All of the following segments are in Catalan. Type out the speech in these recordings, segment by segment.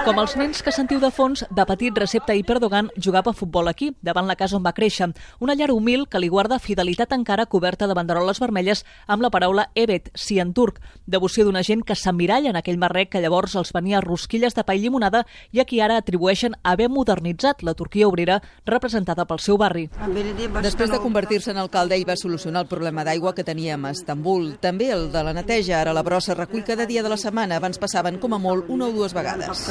Com els nens que sentiu de fons, de petit Recep Tayyip Erdogan jugava a futbol aquí, davant la casa on va créixer. Una llar humil que li guarda fidelitat encara coberta de banderoles vermelles amb la paraula Evet, sí en turc. Devoció d'una gent que s'emmiralla en aquell marrec que llavors els venia rosquilles de pa i llimonada i a qui ara atribueixen haver modernitzat la Turquia obrera representada pel seu barri. Després de convertir-se en alcalde, ell va solucionar el problema d'aigua que teníem a Estambul. També el de la neteja. Ara la brossa recull cada dia de la setmana. Abans passaven com a molt una o dues vegades.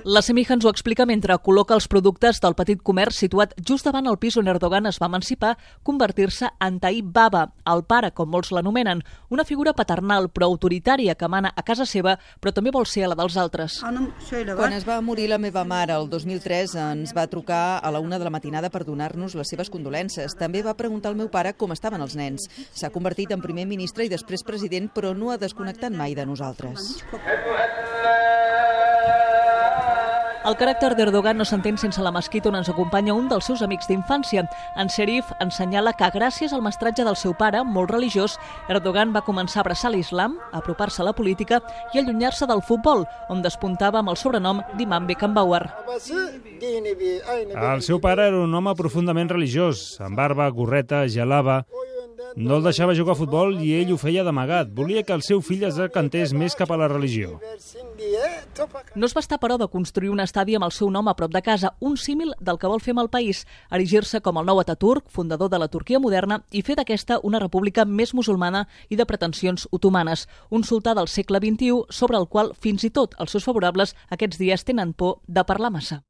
La Semija ens ho explica mentre col·loca els productes del petit comerç situat just davant el pis on Erdogan es va emancipar, convertir-se en Tayyip Baba, el pare, com molts l'anomenen, una figura paternal però autoritària que mana a casa seva, però també vol ser a la dels altres. Quan es va morir la meva mare el 2003, ens va trucar a la 1 de la matinada per donar-nos les seves condolences. També va preguntar al meu pare com estaven els nens. S'ha convertit en primer ministre i després president, però no ha desconnectat mai de nosaltres. El caràcter d'Erdogan no s'entén sense la mesquita on ens acompanya un dels seus amics d'infància. En Serif ens senyala que gràcies al mestratge del seu pare, molt religiós, Erdogan va començar a abraçar l'islam, a apropar-se a la política i allunyar-se del futbol, on despuntava amb el sobrenom d'Imam Beckenbauer. El seu pare era un home profundament religiós, amb barba, gorreta, gelava. No el deixava jugar a futbol i ell ho feia d'amagat. Volia que el seu fill es decantés més cap a la religió. No es va estar, però, de construir un estadi amb el seu nom a prop de casa, un símil del que vol fer amb el país, erigir-se com el nou Ataturk, fundador de la Turquia moderna, i fer d'aquesta una república més musulmana i de pretensions otomanes. Un sultà del segle XXI sobre el qual fins i tot els seus favorables aquests dies tenen por de parlar massa.